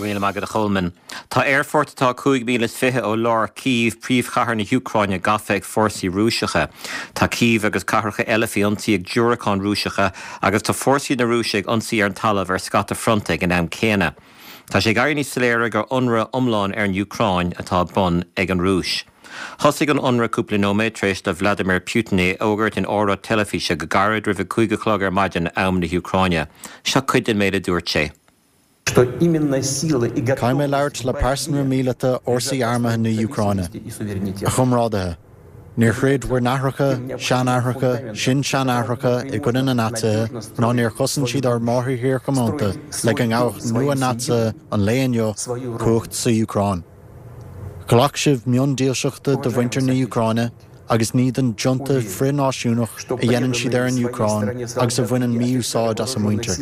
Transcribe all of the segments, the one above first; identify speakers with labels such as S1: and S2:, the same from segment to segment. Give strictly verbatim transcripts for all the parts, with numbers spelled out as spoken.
S1: Go raibh míle maith agat a Cholmáin. Tá aerfort atá cúig míle is fiche ó lár Cív príomhchathair na hÚcráine gafa ag fórsaí Rúiseacha. Tá Cív agus cathracha eile faoi ionsaí ag diúracáin Rúiseacha agus tá fórsaí na Rúise ag ionsaí ar an talamh ar scata fronta ag an am céanna. Tá sé ag éirí níos soiléire gur ionradh iomlán ar an Úcráin atá ar bun ag an Rúis. Thosaigh an ionradh cúpla nóiméad tar éis do Vladimir Putin é a fhógairt in óráid teilifíse go gairid roimh a cúig a chlog ar maidin am na hÚcráine. Seo cuid den méid a dúirt sé.
S2: Caithfidh mé labhairt le pearsanra míleata fhórsaí armtha na hÚcráine. A chomrádaithe. Níor throid bhur n-aithreacha, seanaithreacha, sin-seanaithreacha i gcoinne na Naitsithe ná níor chosain siad ár máthairthír chomónta le go ngabhfadh nua-Naitsithe an lae inniu cumhacht sa Úcráin. Ghlac sibh mionn dílseachta do mhuintir na hÚcráine agus ní don junta frith-náisiúnach a dhéanann siad ar an Úcráin agus a bhaineann mí-úsáid as a muintir.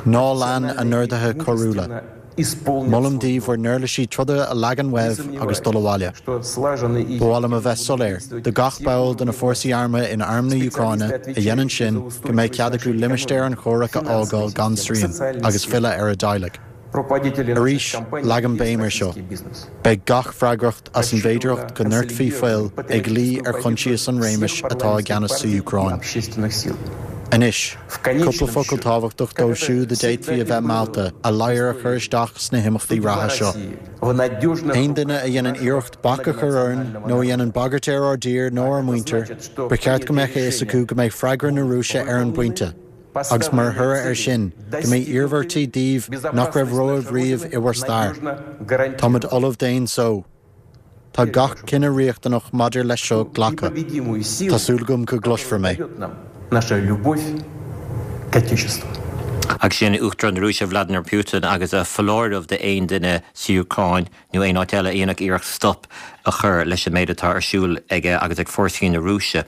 S2: Ná lean a n-orduithe coiriúla. Molaim daoibh bhur n-uirlisí troda a leagan uaibh agus dul abhaile. Ba mhaith liom a bheith soiléir do gach ball de na fórsaí armtha in arm na hÚcráine a dhéanann sin go mbeidh cead acu limistéar an chomhraic a fhágáil gan srian agus filleadh ar a dteaghlaigh. Arís leagaim béim air seo. Beidh gach freagracht as an bhféidearthacht go ndoirtfí fuil ag luí ar choinsias an réimis atá i gceannas sa Úcráin. Anois, cúpla focal tábhachtach dóibh siúd a d'fhéadfaí a bheith meallta a ladhar a chur isteach sna himeachtaí reatha seo. Aon duine a dhéanann iarracht bac a chur orainn nó a dhéanann bagairt ar ár dtír nó ár muintir, ba cheart go mbeadh a fhios acu go mbeidh freagra na Rúise ar an bpointe. agus mar thoradh air sin go mbeidh iarmhairtí daoibh nach raibh romhaibh riamh i bhur stair. Táimid ullamh d'aon só. Tá gach cinneadh riachtanach maidir leis seo glactha. Tá súil agam go gcloisfear mé.
S3: Наша любовь к Отечеству.
S1: Agus sin Uachtarán na Rúise Vladimir Putin agus a foláireamh d'aon duine sa Úcráin nó aon áit eile a dhéanfadh iarracht stop a chur leis an méid atá ar siúl aige agus ag fórsaí na Rúise.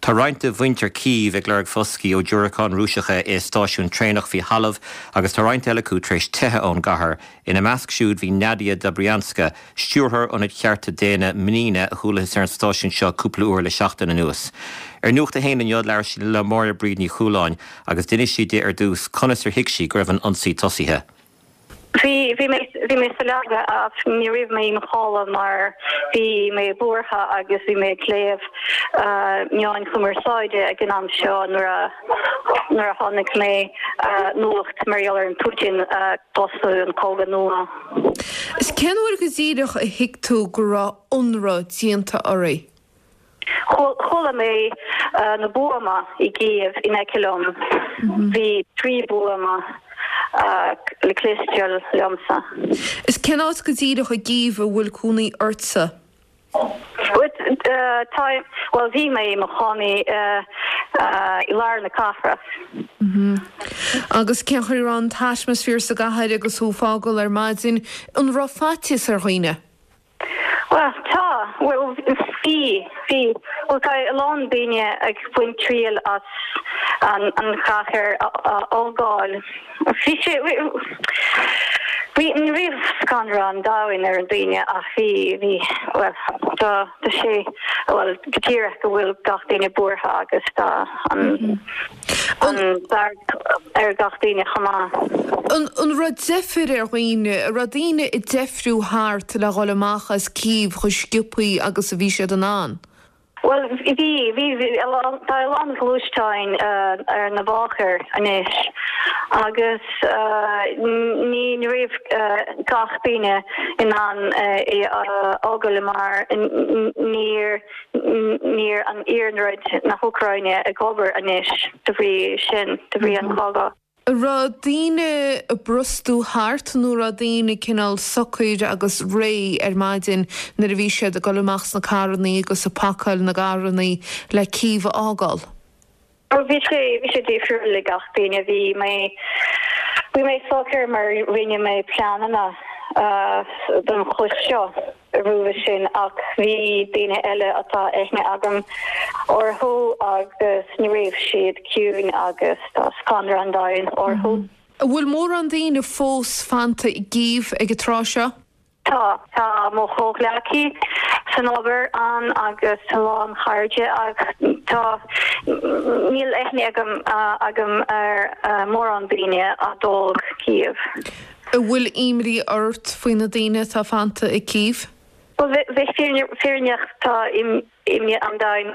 S1: Tá roinnt de mhuintir Cív ag lorg foscaidh ó diúracáin Rúiseacha i stáisiún traenach faoi thalamh agus tá roinnt eile acu tar éis teitheadh ón gcathair. Ina measc siúd bhí Nadia Dobrianska, stiúrthóir ionad chearta daonna Mnina a chualathas ar an stáisiún seo cúpla uair le seachtain anuas. Ar Nuacht a hAon inniu labhair sí le Máire Bríd Ní Chualáin agus d'inis sí di ar dtús conas ar thuig sí go raibh an ionsaí tosaithe.
S4: Bhí bhí mé bhí mé sa leaba ach ní raibh mé i mo chodladh mar bhí mé buartha agus bhí mé ag léamh meáin chumarsáide ag an am seo nuair a nuair a tháinig mé nuacht mar gheall ar an Putin tosú an cogadh nua.
S5: Is cén uair go díreach a thuig tú go raibh ionradh déanta oraibh?
S4: Chuala mé na buamaí i gCív in aice liom. Bhí trí buama le cloisteáil liomsa.
S5: Is cén áit go díreach i gCív a bhfuil cónaí ortsa?
S4: Tá well bhí mé i mo chónaí i lár na cathrach.
S5: Agus cén chaoi a raibh an t-atmaisféar sa gcathair agus thú ag fágáil ar maidin an raibh faitíos ar dhaoine?
S4: Well tá well bhí bhí well tá a lán daoine ag baint triail as an an chathair a fhágáil. Bhí sé bhí ní raibh scanradh an domhain ar an daoine ach bhí bhí well tá tá sé well go díreach go bhfuil gach duine buartha agus tá an an fearg ar gach duine chomh maith.
S5: An an raibh deifir ar dhaoine, an raibh daoine ag deifriú thart le dhul amach as Cív chomh sciobtha agus a bhí siad in ann?
S4: Well bhí bhí tá a lán gluaisteáin ar na bóithre anois agus ní ní raibh gach duine in ann é a fhágáil mar níor níl an iarnród na hÚcráine ag obair anois de bhrí sin de bhrí an chogadh.
S5: Raibh daoine ag brostú thart nó raibh daoine cineál socair agus réidh ar maidin nuair a bhí siad ag dul amach sna carranna agus ag pacáil na gcarranna le Cív a fhágáil.
S4: Bhí sé bhí sé difriúil le gach duine bhí mé bhí mé socair mar rinne mé pleananna don chuid seo roimhe sin ach bhí daoine eile atá aithne agam orthu agus ní raibh siad ciúin agus tá scanradh an domhain orthu.
S5: An bhfuil mórán daoine fós fanta i gCív ag an tráth seo?
S4: Tá tá mo chomhghleacaí san obair ann agus tá lán cairde ach tá níl aithne agam agam ar mórán daoine a d'fhág Cív.
S5: An bhfuil imní ort faoi na daoine atá fanta i Kiev?
S4: Well, bheith fírinneach tá imní an domhain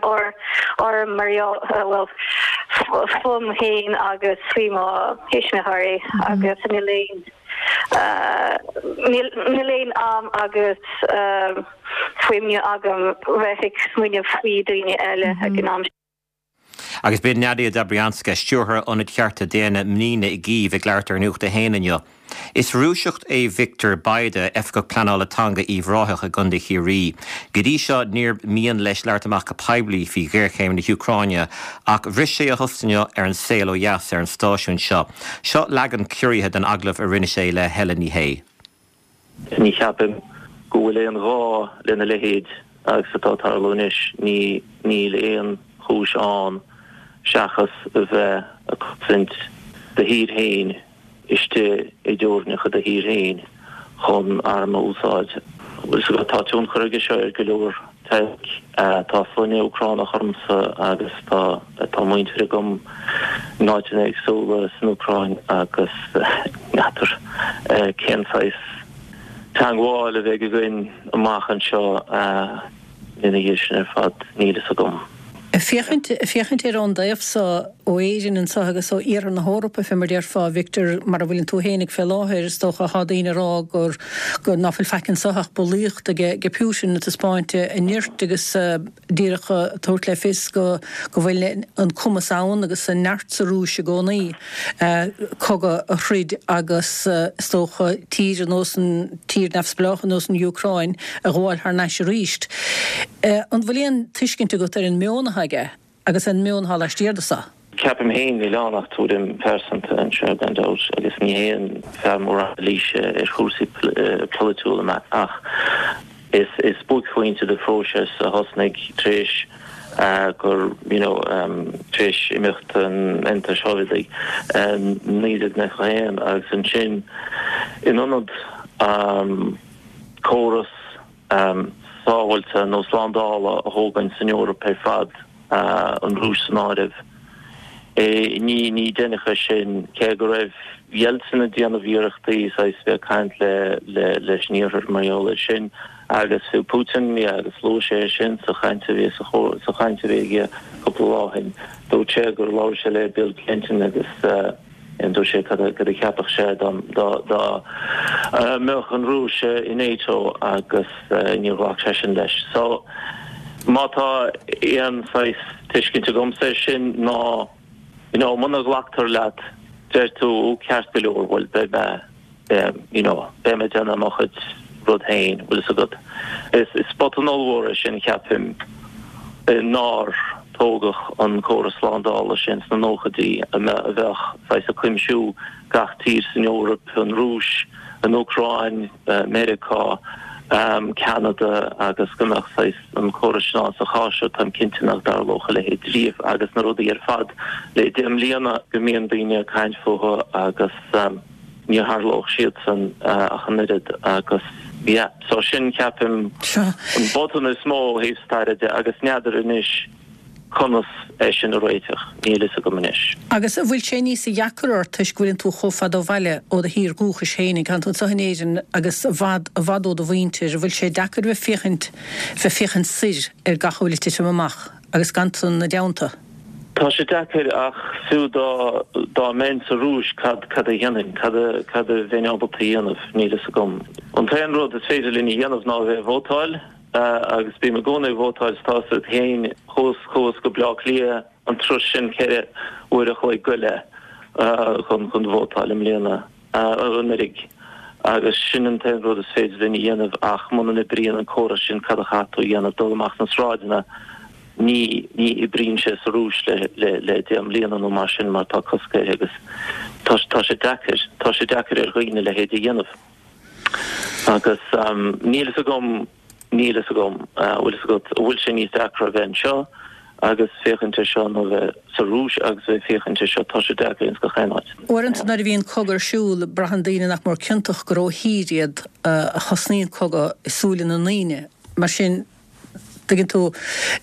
S4: orm mar well fúm féin agus faoi mo thuismitheoirí agus níl aon níl aon am agus fuinneamh agam bheith ag smaoineamh faoi daoine eile ag an am.
S1: Agus b'in Nadia Dobrianska, stiúrthóir Ionad Chearta Daonna Mnina i gCív ag labhairt ar Nuacht a hAon inniu. Is Rúiseach é Victor Bayda, Oifigeach Pleanála Teanga Uíbh Ráthach i gContae Chiarraí. Go dtí seo níor mhian leis labhairt amach go poiblí faoi ghéarchéim na hÚcráine, ach bhris sé a thost inniu ar an saol ó dheas ar an stáisiún seo. Seo leagan ciorraithe den agallamh a rinne sé le Helen Ní Shé.
S6: Ní cheapaim go bhfuil aon ghá lena leithéid agus atá ag tarlú anois. Ní níl aon chúis ann seachas a bheith ag cosaint do thír féin istigh i dteorainneacha do thír féin chun arm a úsáid. Bhfuil fhios agat, tá tionchar aige seo ar go leor teaghlaigh. Tá sloinne Úcránach ormsa agus tá tá muintir agam in áiteanna éagsúla san Úcráin agus n'fheadar cén saghas teangmháil a bheidh againn amach anseo ina dhiaidh sin ar fad, níl fhios agam.
S7: Féachaint, féachaint air ón dtaobh so, ó Éirinn anso agus ó Iarthar na hEorpa, fé mar déarfá, a Victor, mar a bhfuileann tú fhéinig fé láthair, is dócha, thá daoine a rá gur, gur, ná fuil faic anso ach bulaíocht aige, aige Putin ag taispeáint a nirt agus díreach ag tabhairt le fios go, go bhfuil an cumas ann agus an neart sa Rúis i gcónaí cogadh a throid agus is dócha tír ar nós an, tír neamhspleách ar nós an Úcráin a ghabháil thar n-ais aríst. An bhfuil aon tuiscint agat ar an meon atá aige agus an meon atá laistiar de so?
S6: Ceapaim féin, níl ann ach tuairim phearsanta anseo gan dabht agus ní haon fear mór anailíse ar chúrsaí polaitiúla mé ach is buaicphointe de phróiseas a thosnaigh tar éis gur you know tar éis imeacht an Aontais Shóivéadaigh naoi déag nócha a haon agus ansin in ionad córas sábháilte nó slándála a thógaint san Eoraip ar fad, an Rúis san áireamh. Ní ní deineadh é sin, cé go raibh Yeltsin ag déanamh iarrachtaí saghas bheith ag caint le le leis an Iarthar mar gheall air sin agus fiú Putin, yeah, agus luaigh sé é sin sa chaint a bhí sa sa chaint a bhí aige cúpla lá ó shin. Dúirt sé gur labhair sé le Bill Clinton agus Dúirt sé cad a cheapfadh sé dá mbeadh an Rúis i NATO agus níor ghlac seisean leis. So, má tá aon saghas tuiscint agamsa air sin ná, you know, muna nglactar leat, deir tú, ó ceart go leor, bhuel beidh mé, you know, beidh mé ag déanamh mo chuid rud féin, bhfuil fhios agat. Is botún ollmhór é sin, cheapfainn, nár tógadh an córas slándála sin sna nóchaidí a bheadh saghas ag cuimsiú gach tír san Eoraip, an Rúis, an Úcráin, Meiriceá, Ceanada agus go mbeadh saghas an córas sin ann. Sa chás seo táim cinnte nach dtarlódh a leithéid riamh agus na rudaí ar fad le deich mbliana go mbíonn daoine ag caint fúthu agus. ní tharlódh siadsan ach an oiread agus yeah so sin ceapaim an botún is mó ó thaobh staire de agus n'fheadar anois conas é sin a réiteach, níl fhios agam anois.
S7: Agus an bhfuil sé níosa dheacra ort toisc go bhfuileann tú chomh fada ó bhaile ó do thír dhúchais féinig, tánn tú anseo in Éirinn agus i bhfad, i bhfad ó do mhuintir, an bhfuil sé deacair bheith féachaint, bheith féachaint soir ar gach a bhfuil ag titim amach agus gan tú ina dteannta?
S6: Tá sé deacair ach fiú dá dá mbeinn sa Rúis cad cad a dhéanfainn? Cad a cad a bheinn ábalta a dhéanamh? Níl fhios agam. An t-aon rud is féidir linn a dhéanamh ná a bheith ag vótáil agus bím i gcónaí ag vótáil is tá fhios agat féin chuas chuas go Bleá Cliath an turas sin ceithre uair a chloig go leith chun chun vótáil i mbliana anuraidh agus sin an t-aon rud is féidir linn a dhéanamh ach muna n-oibríonn an córas sin cad a chaithfidh tú a dhéanamh? Dul amach sna sráideanna Ní, ní oibríonn sé sa Rúis le, le, le deich mbliana nó mar sin mar tá cosc air agus tá, tá sé deacair, tá sé deacair ar dhaoine a leithéid a dhéanamh. Agus níl fhios agam, níl fhios agam, bhfuil fhios agat, an bhfuil sé níos deacra a bheith anseo agus féachaint ar seo nó a bheith sa Rúis agus a bheith féachaint ar seo, tá sé deacair ins gach aon áit.
S7: Uaireanta nuair a bhíonn cogadh ar siúl, braitheann daoine nach mór ciontach gur ó thír iad a thosnaíonn cogadh i súile na ndaoine. Mar sin, Tuigeann tú,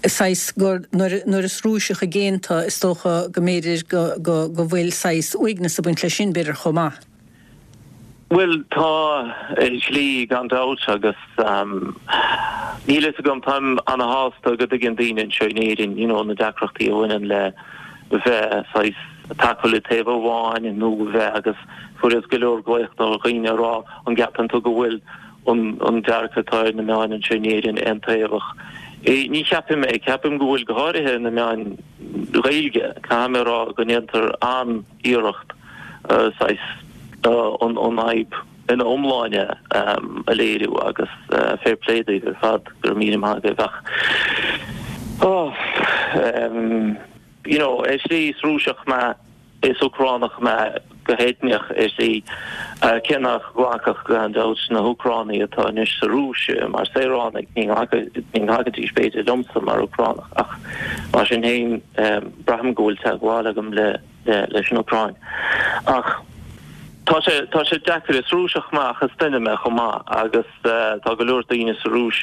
S7: saghas gur, nuair, nuair is Rúiseach i gcéin tú, is dócha go mb'fhéidir go, go, go bhfuil saghas uaigneas ag baint leis sin, b'fhéidir, chomh maith.
S6: Bhuel, tá ar shlí gan dabht agus níl fhios agam, táim ana-shásta go dtuigeann daoine anseo in Éirinn you know na deacrachtaí a bhaineann le bheith saghas tacú le taobh amháin nó bheith agus fuaireas go leor glaoch ó dhaoine a rá an gceapann tú go bhfuil an an dearcadh atá ar na meáin anseo in Éirinn aontaobhach. Ní cheapaim é, ceapaim go bhfuil go háirithe na meáin Ghaeilge, caithfidh mé a rá go ndéantar an-iarracht saghas an fhadhb ina iomláine a léiriú agus fair play daoibh ar fad, go raibh míle maith agaibh ach oh you know ar shlí is Rúiseach mé, is Úcránach mé go heitneach ar shlí, cé nach nglacfadh gan dabht na hÚcránaigh atá anois sa Rúis mar saoránaigh, ní nglacfaidís b'fhéidir liomsa mar Úcránach ach mar sin féin braithim go bhfuil teagmháil agam le leis an Úcráin. Ach tá sé, tá sé deacair, is Rúiseach mé ach is duine mé chomh maith agus tá go leor daoine sa Rúis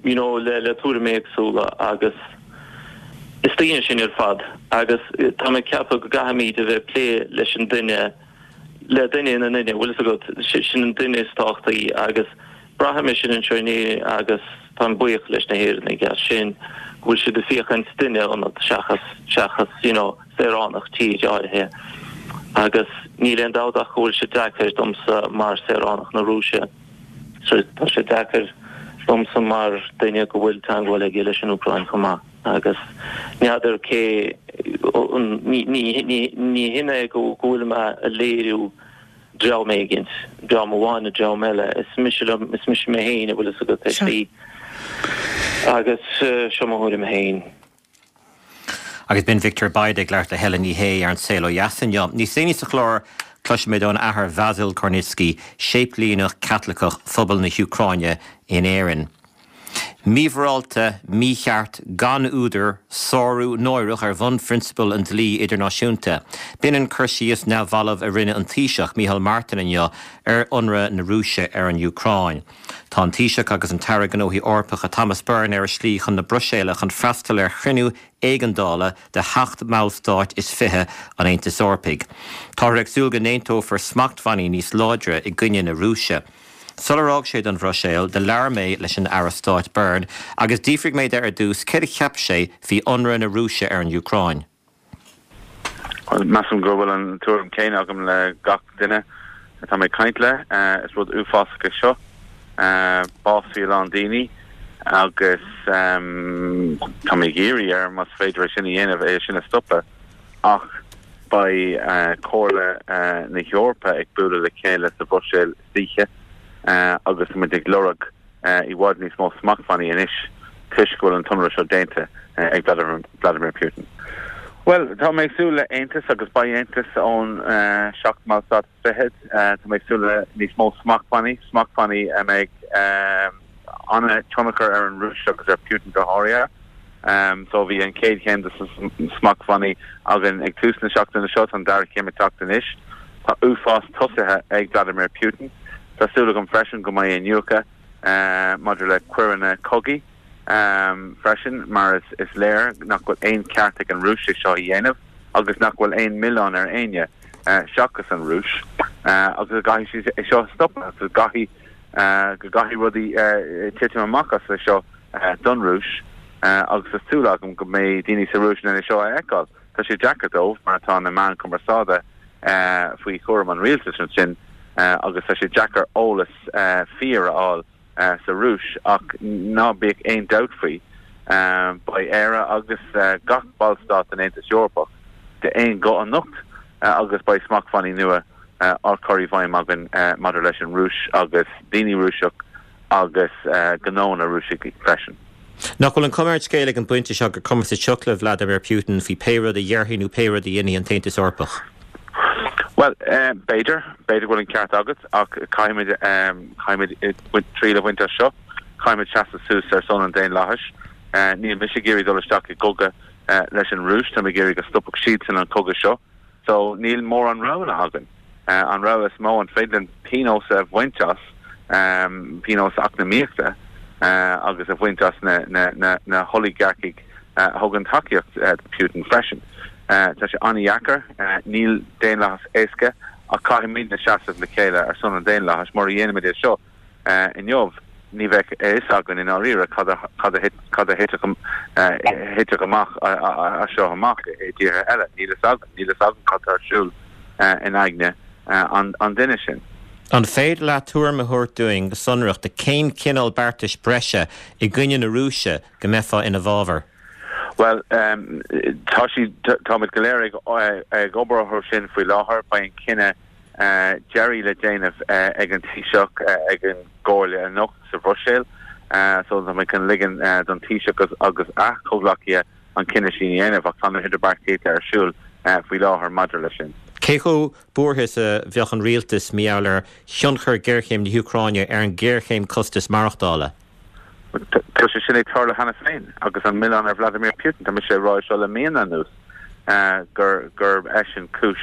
S6: you know le le tuairimí éagsúla agus is daoine sinn ar fad agus tá mé ag ceapadh go gcaithfimid a bheith ag plé leis an duine, le duine ina nduine, bhfuil fhios agat, sin an duine is tábhachtaí agus braithim é sin anseo in Éirinn agus táim buíoch leis na hÉireannaigh as sin, go bhfuil siad ag féachaint duine ionat seachas, seachas you know saoránach tír áirithe. Agus níl aon dabht ach go bhfuil sé deacair domsa mar saoránach na Rúise, so tá sé deacair domsa mar duine go bhfuil teagmháil aige leis an Úcráin chomh maith. Agus n'fheadar cé, ní, ní, ní, ní hin é go bhfuil mé a léiriú dream éigint, dream amháin nó dream eile, is mise liom, is mise mé féin a bhfuil fhios agat ar shlí. Agus seo mo thuairim féin.
S1: Agus b'in Victor Bayda ag labhairt le Helen Ní Shé ar An Saol Ó Dheas inniu. Níos déanaí sa chlár, cloisfimid ón Athair Vasyl Kornytskyi, séiplíneach Caitliceach phobal na hÚcráine in Éirinn. Mímhorálta, mícheart, gan údar, sárú náireach ar bhunphrionsabail an dlí idirnáisiúnta. B'in an cur síos neamhbhalbh a rinne an Taoiseach, Micheál Martin inniu ar ionradh na Rúise ar an Úcráin. Tá an Taoiseach agus an tAire Gnóthaí Eorpacha Thomas Byrne ar a slí chun na Bruiséile chun freastal ar chruinniú éigeandála de sheacht mballstát is fiche an Aontais Eorpaigh. Táthar ag súil go n-aontófar smachtbhannaí níos láidre i gcoinne na Rúise. Sular fhág sé don Bhruiséil, do labhair mé leis an Aire Stáit Byrne agus d'fhiafraigh mé de ar dtús céard a cheap sé faoi ionradh na Rúise ar an Úcráin.
S8: Measaim go bhfuil an tuairim céanna agam le gach duine atá mé ag caint le. Is rud uafásach é seo. Básaíodh a lán daoine agus tá mé ag iarraidh air, más féidir é sin a dhéanamh, é sin a stopadh. Ach beidh Comhairle na hEorpa ag bualadh le chéile sa Bhruiséil istoíche agus tá muid ag lorg i bhfad níos mó smachtbhannaí anois toisc go bhfuil an t-ionradh seo déanta ag Vladimir Putin. Bhuel, tá mé ag súil le aontas agus beidh aontas ón seacht mballstát is fichead. Tá mé ag súil le níos mó smachtbhannaí, smachtbhannaí a mbeidh an-tionchar ar an Rúis agus ar Putin go háirithe. So bhí an chéad chéim de smachtbhannaí againn ag tús na seachtaine seo, tá an dara céim ag teacht anois. Tá uafás tosaithe ag Vladimir Putin. Tá súil agam freisin go mbeidh iniúchadh maidir le coireanna cogaidh freisin mar is léir nach bhfuil aon cheart ag an Rúis é seo a dhéanamh agus nach bhfuil aon milleán ar éinne seachas an Rúis agus go gcaithfidh siad é seo a stopadh agus go gcaithfidh go gcaithfidh rudaí titim amach as é seo don Rúis agus tá súil agam go mbeidh daoine sa Rúis in ann é seo a fheiceáil. Tá sé deacair dóibh mar tá na meáin cumarsáide faoi chúram an rialtais ansin agus tá sé deacair eolas fíor a fháil sa Rúis ach ná bíodh aon dabht faoi, beidh Éire agus gach ballstát den Aontas Eorpach d'aon ghuth anocht agus beidh smachtbhannaí nua á chur i bhfeidhm againn maidir leis an Rúis agus daoine Rúiseach agus gnónna Rúiseach freisin.
S1: Nach bhfuil an chuma ar an scéal ag an bpointe seo gur cuma sa tsioc le Vladimir Putin faoi pé rud a dhéarfaidh nó pé rud a dhéanfaidh an tAontas Eorpach?
S8: Bhuel, b'fhéidir, b'fhéidir go bhfuil an ceart agat ach caithfimid, caithfimid triail a bhaint as seo. Caithfimid seasamh suas ar son an daonlathais. Níl mise ag iarraidh dul isteach i gcogadh leis an Rúis, táim ag iarraidh go stopfadh siadsan an cogadh seo. So níl mórán roghanna againn. An rogha is mó, an féidir linn pionós a bhaint as, pionós eacnamaíochta agus a bhaint as na, na, na, na holagaircigh a thugann tacaíocht do Putin freisin. Tá sé an-dheacair, níl daonlathas éasca Ach caithfimidne seasamh le chéile ar son an daonlathais. Mura dhéanaimid é seo inniu, ní bheidh a fhios againn i ndáiríre cad a cad a thitfeadh amach as seo amach i dtíortha eile. Níl a fhios againn. Níl a fhios againn cad tá ar siúl in aigne an duine sin.
S1: An féidir leat tuairim a thabhairt dúinn go sonrach de cén cineál beartais breise i gcoinne na Rúise go mbeifeá ina bhfabhar?
S8: Bhuel, tá siad, táimid go léir ag ag obair orthu sin faoi láthair. Beidh an cinneadh deiridh le déanamh ag an Taoiseach ag an gComhairle anocht sa Bhruiséil. So tá mé chun ligean don Taoiseach agus a chomhghleacaithe an cinneadh sin a dhéanamh ach tá na hidirbheartaíochta ar siúl faoi láthair maidir leis sin.
S1: Cé chomh buartha is a bheadh an rialtas mar gheall ar thionchar ghéarchéim na hÚcráine ar an ghéarchéim costas maireachtála?
S8: Tá sé sin ag tarlú cheana féin agus an milleán ar Vladimir Putin. Tá mise ag rá seo le míonna anuas gur gurb eisean cúis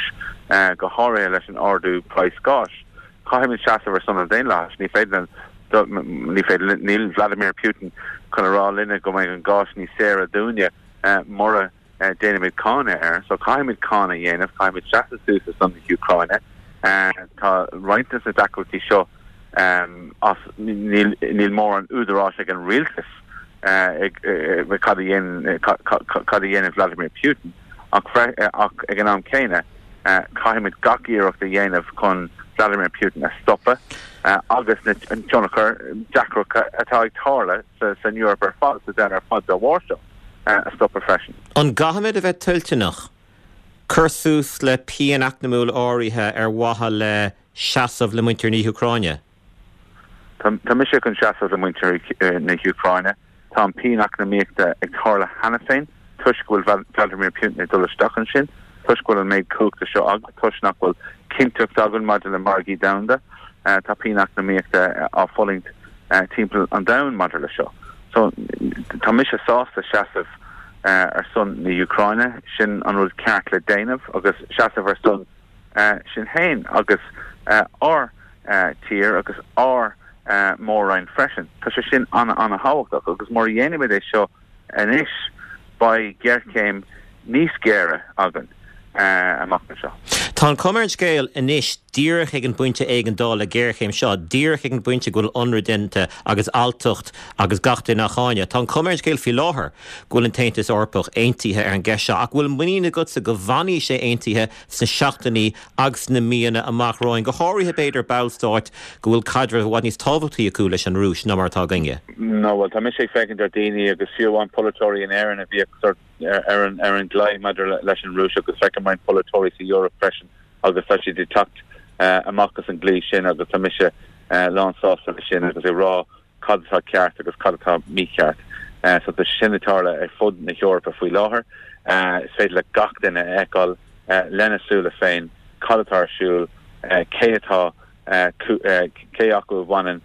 S8: go háirithe leis an ardú praghas gáis. Caithfimid seasamh ar son an daonlathais. Ní féidir ní féidir níl Vladimir Putin chun a rá linne go mbeidh an gás níos saoire dúinne mura déanaimid cáineadh air. So caithfimid cáineadh a dhéanamh, caithfimid seasamh suas ar son na hÚcráine. Tá roinnt de na deacrachtaí seo as níl níl mórán údaráis ag an rialtas ag cad a dhéanann cad a dhéanann Vladimir Putin ach ach ag an am céanna caithfimid gach iarracht a dhéanamh chun Vladimir Putin a stopadh agus na tionchar deacracha atá ag tarlú san Eoraip ar fad sa domhan ar fad dá bharr seo a stopadh freisin.
S1: An gcaithfimid a bheith toilteanach cur suas le pian eacnamúil áirithe ar mhaithe le seasamh le muintir na hÚcráine?
S8: Tá mise chun seasamh le muintir na hÚcráine. Tá an pian eacnamaíochta ag tarlú cheana féin toisc go bhfuil Vladimir Putin ag dul isteach ansin, toisc go bhfuil an méid cumhachta seo aige, toisc nach bhfuil cinnteacht againn maidir le margaí domhanda. Tá pian eacnamaíochta á fulaingt timpeall an domhain maidir le seo. So tá mise sásta seasamh ar son na hÚcráine, sin an rud ceart le déanamh agus seasamh ar son sinn féin agus ár tír agus ár mór-roinn freisin. Tá sé sin an-an-thábhachtach agus mura dhéanaimid é seo anois beidh géarchéim níos géire againn amach anseo.
S1: Tá an chuma ar an scéal anois, díreach ag an bpointe éigeandála géarchéim seo, díreach ag an bpointe go bhfuil ionradh déanta agus alltacht agus gach duine á cháineadh, tá an chuma ar an scéal faoi láthair go bhfuil an tAontas Eorpach aontaithe ar an gceist seo, ach bhfuil muinín agatsa go bhfanfaidh sé aontaithe sna seachtainí agus sna míonna amach romhainn, go háirithe b'fhéidir ballstáit go bhfuil caidreamh i bhfad níos tábhachtaí acu leis an Rúis ná mar atá againne?
S8: No, bhuel, tá mise ag féachaint ar daoine agus fiú amháin polaiteoirí in Éirinn a bhíodh sort ar an ar an gclaí maidir leis an Rúis agus feicim roinnt polaiteoirí sa Eoraip freisin agus tá siad ag teacht amach as an gclaí sin agus tá mise lán sásta leis sin agus ag rá cad atá ceart agus cad atá mícheart. So tá sin ag tarlú ar fud na hEorpa faoi láthair. Is féidir le gach duine a fheiceáil lena súile féin cad atá ar siúl, cé atá cé acu a bhaineann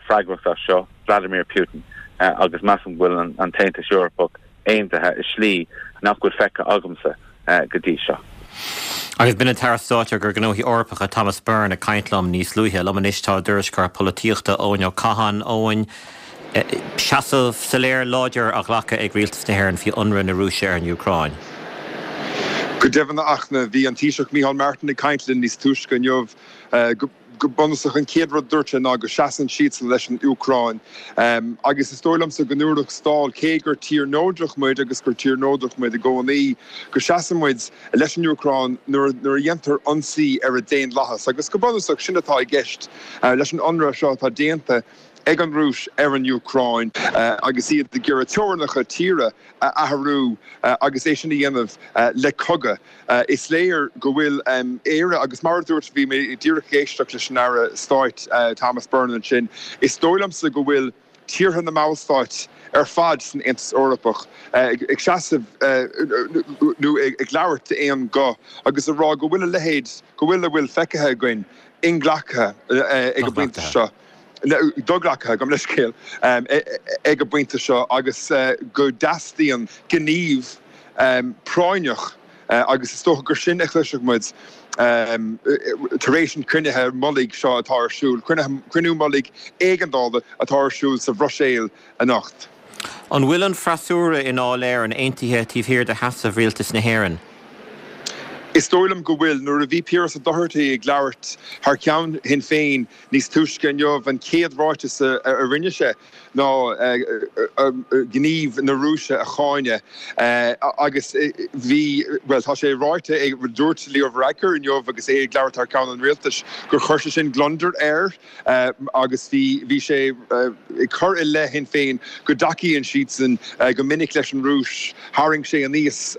S8: freagracht as seo, Vladimir Putin, agus measaim go bhfuil an tAontas Eorpach aontaithe i slí nach bhfuil feicthe agamsa go dtí seo.
S1: Agus b'in an tAire Stáit ar Ghnóthaí Eorpacha Thomas Byrne ag caint liom níos luaithe. Liom anois tá ár dtuairisceoir polaitíochta Eoin Ó Catháin. Eoin, seasamh soiléir láidir á ghlacadh ag Rialtas na hÉireann faoi ionradh na Rúise ar an Úcráin.
S9: Go deimhin, a Fhachtna, bhí an Taoiseach Micheál Martin ag caint linn níos túisce inniu. Go bunúsach, an chéad rud a dúirt sé ná go seasann siadsan leis an Úcráin. Agus is dóigh liomsa go ndúradh thall, cé gur tír neodrach muid agus gur tír neodrach muid i gcónaí, go seasann muid leis an Úcráin nuair a dhéantar ionsaí ar a daonlathas. Agus go bunúsach, sin atá i gceist leis an ionradh seo atá déanta ag an Rúis ar an Úcráin agus iad ag iarraidh teorainneacha tíre a athrú agus é sin a dhéanamh le cogadh. Is léir go bhfuil Éire, agus mar a dúirt, bhí mé díreach ag éisteacht leis an Aire Stáit Thomas Byrne ansin, is dóigh liomsa go bhfuil tíortha na mballstáit ar fad san Aontas Eorpach ag seasamh nó ag labhairt d'aon ghuth agus ag rá go bhfuil a leithéid, go bhfuil a bhfuil feicthe againn inghlactha ag an bpointe seo. Do-ghlactha, gabh mo leithscéal, ag an bpointe seo agus go dteastaíonn gníomh práinneach agus is dócha gur sin a chloisfidh muid tar éis an chruinnithe mullaigh seo atá ar siúl, cruinniú mullaigh éigeandála atá ar siúl sa Bhruiséil anocht.
S1: An bhfuil an freasúra i nDáil Éireann aontaithe taobh thiar de sheasamh Rialtas na hÉireann?
S9: Is dóigh liom go bhfuil. Nuair a bhí Piaras Ó Dochartaigh ag labhairt thar ceann Shinn Féin níos túisce inniu, an chéad ráiteas a rinne sé ná gníomh na Rúise a cháineadh agus bhí, bhuel, tá sé ráite ag, dúirt Leo Varadkar inniu agus é ag labhairt thar ceann an rialtais gur chuir sé sin gliondar air agus bhí, bhí sé ag cur i leith Shinn Féin go dtacaíonn siadsan go minic leis an Rúis. Tharraing sé aníos,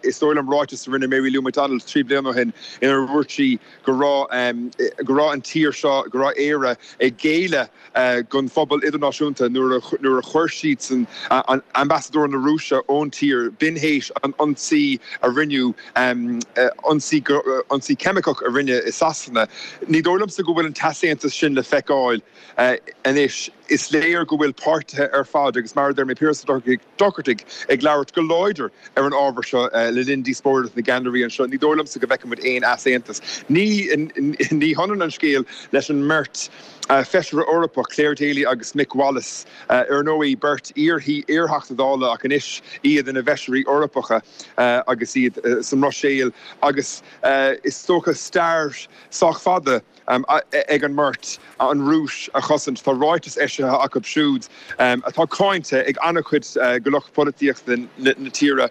S9: is dóigh liom, ráiteas a rinne Mary Lou McDonald trí bliana ó shin inar dhúirt sí go raibh go raibh an tír seo, go raibh Éire ag géilleadh don phobal idirnáisiúnta nuair a nuair a chuir siadsan an ambasadóir na Rúise ón tír, b'in théis an ionsaí a rinneadh, ionsaí ionsaí ceimiceach a rinneadh i Sasana. Ní dóigh liomsa go bhfuil an t-easaontas sin le feiceáil anois. Is léir go bhfuil páirtithe ar fad, agus mar a deir mé Piaras Ó Dochartaigh ag labhairt go láidir ar an ábhar seo le linn díospóireacht na gceannairí anseo, ní dóigh liomsa go bhfeicfidh muid aon easaontas. Ní ní hionann an scéal leis an mbeirt Feisire Eorpach, Clare Daly agus Mick Wallace, ar ndóigh beirt iar-Theachta Dála ach anois iad ina bhFeisirí Eorpacha agus iad sa mBruiséil agus is dócha stair sách fada ag an mbeirt an Rúis a chosaint. Tá ráiteas eisithe acu siúd atá cáinte ag an-chuid de lucht polaitíochta na tíre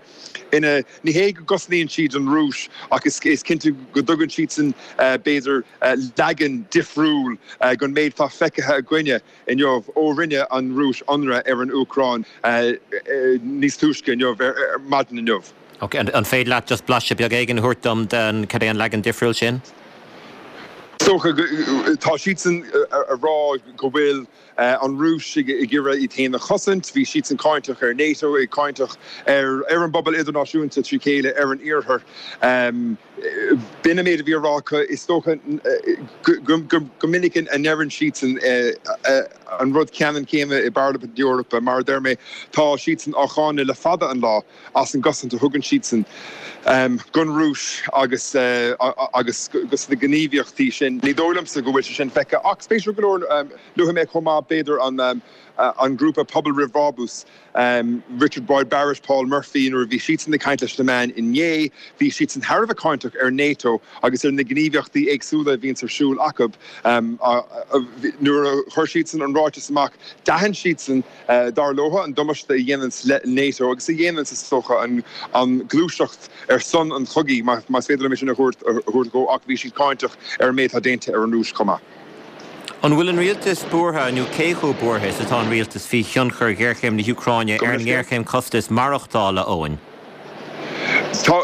S9: ina ní hé go gcosnaíonn siad an Rúis ach is cinnte go dtugann siadsan b'fhéidir leagan difriúil den méid atá feicthe againne inniu ó rinne an Rúis ionradh ar an Úcráin níos túisce inniu, ar maidin inniu.
S1: Ok, an féidir leat just blaiseadh beag éigin a thabhairt dom den cad é an leagan difriúil sin?
S9: Is dócha go, tá siadsan a rá go bhfuil an Rúis ag iarraidh iad féin a chosaint. Bhí siadsan cáinteach ar NATO, ag cáinteach ar ar an bpobal idirnáisiúnta trí chéile, ar an Iarthar. B'in an méid a bhí á rá acu. Is dócha go minic a ndeireann siadsan an rud ceannann céanna i bParlaimint na hEorpa. Mar a deir mé, tá siadsan á cháineadh le fada an lá as an gcosaint a thugann siadsan don Rúis agus agus dos na gníomhaíochtaí sin. Ní dóigh liomsa go bhfuil sé sin feicthe ach spéisiúil go leor, luafaidh mé chomh maith b'fhéidir an an grúpa Pobal Roimh Bhrabús, Richard Boyd Barrett, Paul Murphy, nuair a bhí siadsan ag caint leis na meáin inné, bhí siadsan thar a bheith cáinteach ar NATO agus ar na gníomhaíochtaí éagsúla a bhíonns ar siúl acu. Nuair a chuir siadsan an ráiteas amach, d'aithin siadsan, dar leo, an damáiste a dhéananns NATO agus a dhéananns, is dócha, an ghluaiseacht ar son an chogaidh, más féidir liom é sin a thabhairt dhó, ach bhí siad cáinteach ar an méid atá déanta ar an Rúis chomh maith.
S1: An bhfuil an rialtas buartha, nó cé chomh buartha is atá an rialtas faoi thionchar ghéarchéim na hÚcráine ar an ngéarchéim costas maireachtála, Eoin?
S9: Tá,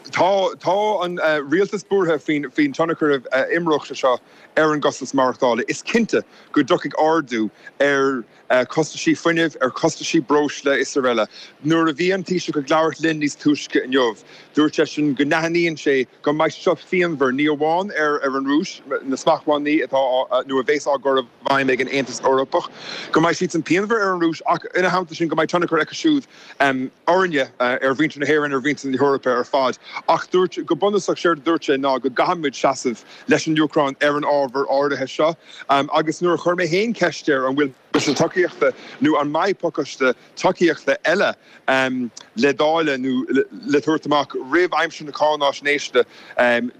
S9: tá, tá an rialtas buartha faoin, faoin tionchar a imreoidh sé seo ar an gcostas maireachtála. Is cinnte go dtiocfaidh ardú ar chostaisí fuinnimh, ar chostaisí breosla is araile. Nuair a bhí an Taoiseach ag labhairt linn níos túisce inniu, dúirt seisean go n-aithníonn sé go mbeidh sé seo pianmhar, ní amháin ar ar an Rúis, na smachtbhannaí atá á, nó a bheas á gcur i bhfeidhm ag an Aontas Eorpach, go mbeidh siadsan pianmhar ar an Rúis ach ina theannta sin go mbeidh tionchar acu siúd orainne, ar mhuintir na hÉireann, ar mhuintir na hEorpa ar fad. Ach dúirt, go bunúsach, séard a dúirt sé ná go gcaithfimid seasamh leis an Úcráin ar an ábhar áirithe seo agus nuair a chuir mé féin ceist air an bhfuil pacáiste tacaíochta nó an mbeidh pacáiste tacaíochta eile le dáileadh nó le tabhairt amach roimh aimsir na cáináisnéise,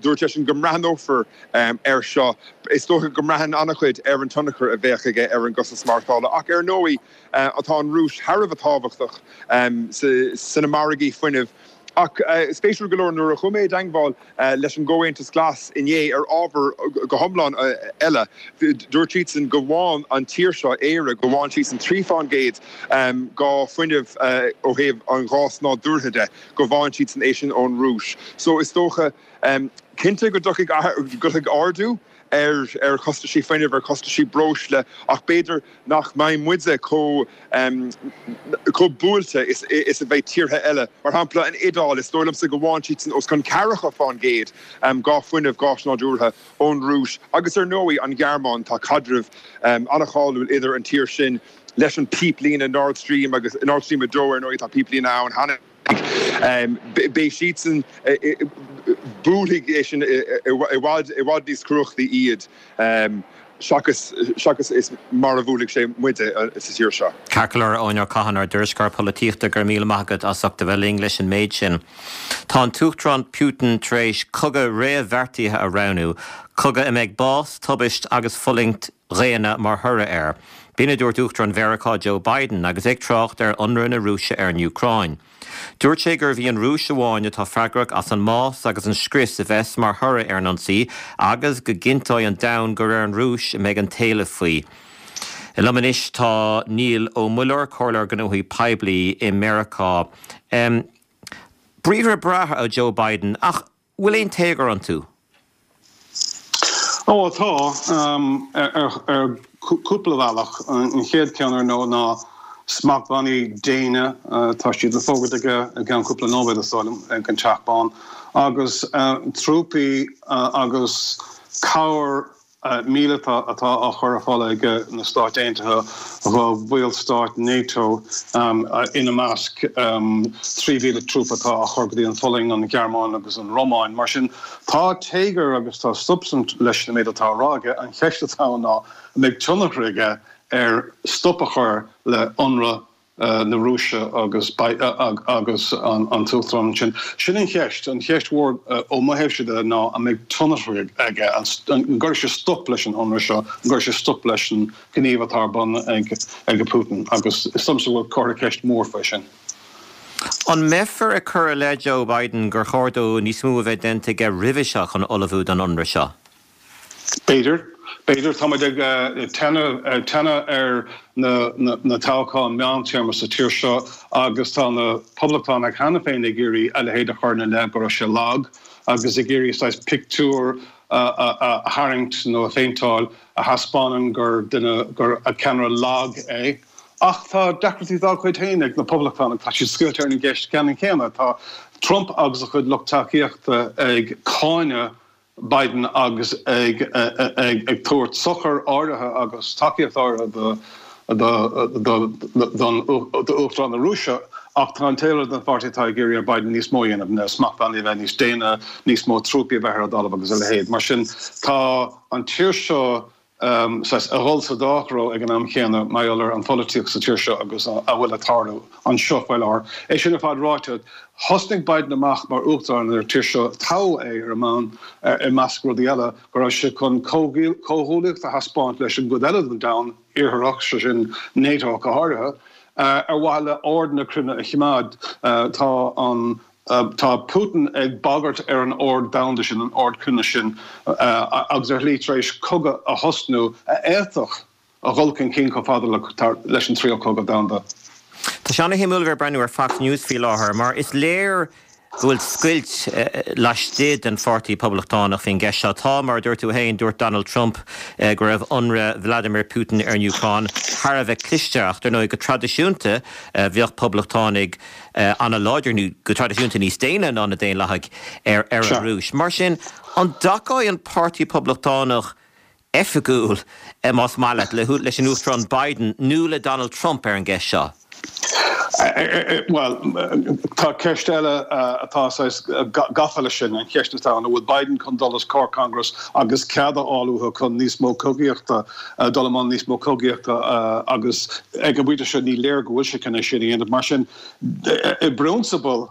S9: dúirt seisean go mbreathnófar air seo. Is dócha go mbraitheann an-chuid ar an tionchar a bheadh aige ar an gcostas maireachtála ach ar ndóigh tá an Rúis thar a bheith tábhachtach sna margaí fuinnimh. Ach spéisiúil go leor, nuair a chuaigh mé i dteangmháil leis an gComhaontas Glas inné ar ábhar go hiomlán eile, dúirt siadsan go bhfaigheann an tír seo, Éire, go bhfaigheann siadsan trí fán gcéad dhá fuinneamh ó thaobh an ghás nádúrtha de, go bhfaigheann siadsan é sin ón Rúis. So is dócha, cinnte go dtiocfaidh ardú ar ar chostaisí fuinnimh, ar chostaisí breosla, ach b'fhéidir nach mbeidh muide chomh chomh buailte is is a bheidh tíortha eile. Mar shampla, an Iodáil, is dóigh liomsa go bhfaigheann siadsan os cionn ceathracha fán gcéad dhá fuinneamh gáis nádúrtha ón Rúis. Agus ar ndóigh, an Ghearmáin, tá caidreamh an-cháiliúil idir an tír sin leis an píplíne Nord Stream agus Nord Stream a dó, ar ndóigh, tá píplíne ann cheana. Beidh siadsan, buailfidh é sin i bhfad i bhfad níos cumhachtaí iad seachas seachas is mar a bhuailfidh sé muide sa tír seo.
S1: Ceart go leor, Eoin Ó Catháin, ár dtuairisceoir polaitíochta, go raibh míle maith agat as ucht a bheith linn leis an méid sin. Tá an tUachtarán Putin tar éis cogadh réamhbheartaithe a roghnú, cogadh a mbeidh bás, tubaist agus fulaingt dhaonna mar thoradh air. B'in a dúirt Uachtarán Mheiriceá Joe Biden agus é ag trácht ar ionradh na Rúise ar an Úcráin. Dúirt sé gurbh í an Rúis amháin atá freagrach as an mbás agus an scrios a bheas mar thoradh ar an ionsaí agus go gcinnteoidh an domhan gur ar an Rúis a mbeidh an t-éileamh faoi. Liom anois tá Niall Ó Muilleoir, Comhairleoir Gnóthaí Poiblí i Meiriceá. Briathra breátha ó Joe Biden, ach bhfuil aon téagar iontu?
S10: Ó tá, ar chúpla bealach. An chéad cheann ar ndóigh ná smachtbhannaí déine, tá siad le fógairt aige i gceann cúpla nóiméad is dóigh liom, ag an Teach Bán, agus trúpaí agus cabhair míleata atá á chur ar fáil ag na Stáit Aontaithe do bhallstáit NATO, ina measc trí mhíle trúpa atá á chur go dtí an Pholainn, an Ghearmáin agus an Rómáin. Mar sin, tá téagar agus tá substaint leis an méid atá á rá aige. An cheist atá ann ná an mbeidh tionchar aige ar stop a chur le hionradh na Rúise agus agus an tUachtarán ansin. Sin an cheist. An cheist mhór ó mo thaobhse de ná an mbeidh tionchar aige, an gcuirfidh sé stop leis an ionradh seo, an gcuirfidh sé stop leis an ghníomh atá ar bun ag ag Putin agus is dóigh liomsa go bhfuil comhartha ceist mór faoi sin.
S1: An mbeifear ag cur i leith Joe Biden gur chóir dó níos mó a bheith déanta aige roimhe seo chun ullmhú don ionradh seo?
S10: B'fhéidir. B'fhéidir. Tá muid ag teannadh ar na toghcháin meántéarma sa tír seo agus tá na Poblachtánaigh cheana féin ag iarraidh a leithéid a chur ina leith go raibh sé lag agus ag iarraidh saghas pictiúr a tharraingt nó a phéinteáil a thaispeánann gur duine, gur ceannaire lag é. Ach tá deacrachtaí dá gcuid féin ag na Poblachtánaigh. Tá siad scoilte ar an gceist ceannann céanna. Tá Trump agus a chuid lucht tacaíochta ag cáineadh Biden agus ag ag tabhairt sochar áirithe agus tacaíocht áirithe d'Uachtarán na Rúise, ach tá an taobh eile den pháirtí atá ag iarraidh ar Biden níos mó a dhéanamh, na smachtbhannaí a bheith níos déine, níos mó trúpaí a bheith ar an dtalamh agus a leithéid. Mar sin, tá an tír seo saghas ag dul sa dá threo ag an am chéanna mar gheall ar an pholaitíocht sa tír seo agus a bhfuil ag tarlú anseo faoi láthair. É sin ar fad ráite, thosnaigh Biden amach mar Uachtarán ar an tír seo, toghadh é ar an mbonn, i measc rudaí eile, go raibh sé chun comhghuaillíocht a thaispeáint leis an gcuid eile den domhan iartharach, sé sin NATO go háirithe, ar mhaithe le ord na cruinne a choimeád. Tá an. Tá Putin ag bagairt ar an ord domhanda sin, an ord cruinne sin, agus ar shlí tar éis cogadh a thosnú a fhéadfadh a dhul chun cinn chomh fada leis an Tríú Cogadh Domhanda.
S1: Tá sé ana-shuimiúil a bheith ag breathnú ar Fox News faoi láthair mar is léir go bhfuil scoilt laistigh den Pháirtí Poblachtánach faoin gceist seo. Tá, mar a dúirt tú féin, dúirt Donald Trump go raibh ionradh Vladimir Putin ar an Úcráin thar a bheith cliste ach, dar ndóigh, go traidisiúnta bheadh Poblachtánaigh an-láidir, nó go traidisiúnta níos déine ná na Daonlathaigh, ar an Rúis. Mar sin, an dtacóidh an Páirtí Poblachtánach oifigiúil, más maith leat, leis an Uachtarán Biden nó le Donald Trump ar an gceist seo?
S10: Bhuel, tá ceist eile atá saghas gafa leis sin, an cheist atá ann, an bhfuil Biden chun dul os comhair Congress agus cead a fháil uathu chun níos mó cogaíochta, dul i mbun níos mó cogaíochta agus ag an bpointe seo ní léir go bhfuil sé chun é sin a dhéanamh. Mar sin, i bprionsabal,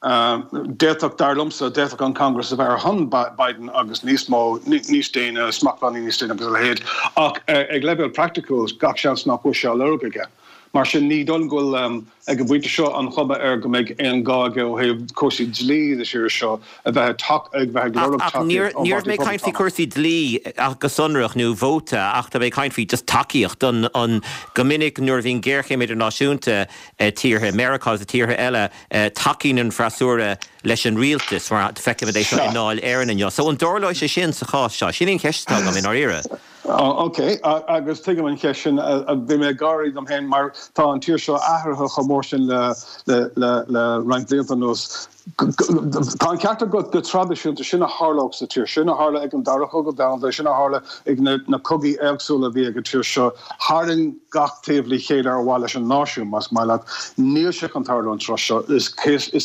S10: d'fhéadfadh, dar liomsa, d'fhéadfadh an Congress a bheith ar shon Biden agus níos mó, níos déine, smachtbhannaí níos déine agus a leithéid, ach ag leibhéal praiticiúil, gach seans nach bhfuil sé á lorg aige. Mar sin, ní dóigh liom go bhfuil, ag an bpointe seo, an chuma air go mbeidh aon ghá aige ó thaobh cúrsaí dlí na tíre seo a bheith ag bheith ag lorg
S1: Ach
S10: tacaíocht ón
S1: ní raibh
S10: bPáirtí
S1: mé ag caint faoi
S10: Poblachtánach.
S1: chúrsaí dlí ach go sonrach nó vóta ach tá mé ag caint faoi just tacaíocht don an go minic nuair a bhíonn géarchéim idirnáisiúnta i tíortha, Meiriceá agus i tíortha eile, tacaíonn an freasúra leis an rialtas mar feicimid é seo i
S10: Sea.
S1: nDáil Éireann inniu. So an dtarlóidh sé sin sa chás seo? Sin í an cheist atá agam i ndáiríre.
S10: Ok, agus tuigim an cheist sin. Bhí mé ag gáirí dom féin mar tá an tír seo athraithe chomh mór sin le roinnt blianta anuas. Tá an ceart agat go traidisiúnta, sin a tharlódh sa tír, sin a tharla ag an Dara Cogadh Domhanda, sin a tharla ag na cogaí éagsúla a bhí ag an tír seo. Tharraing gach taobh le chéile ar mhaithe leis an náisiún, más maith leat. Níl sé chun tarlú an tráth seo. Is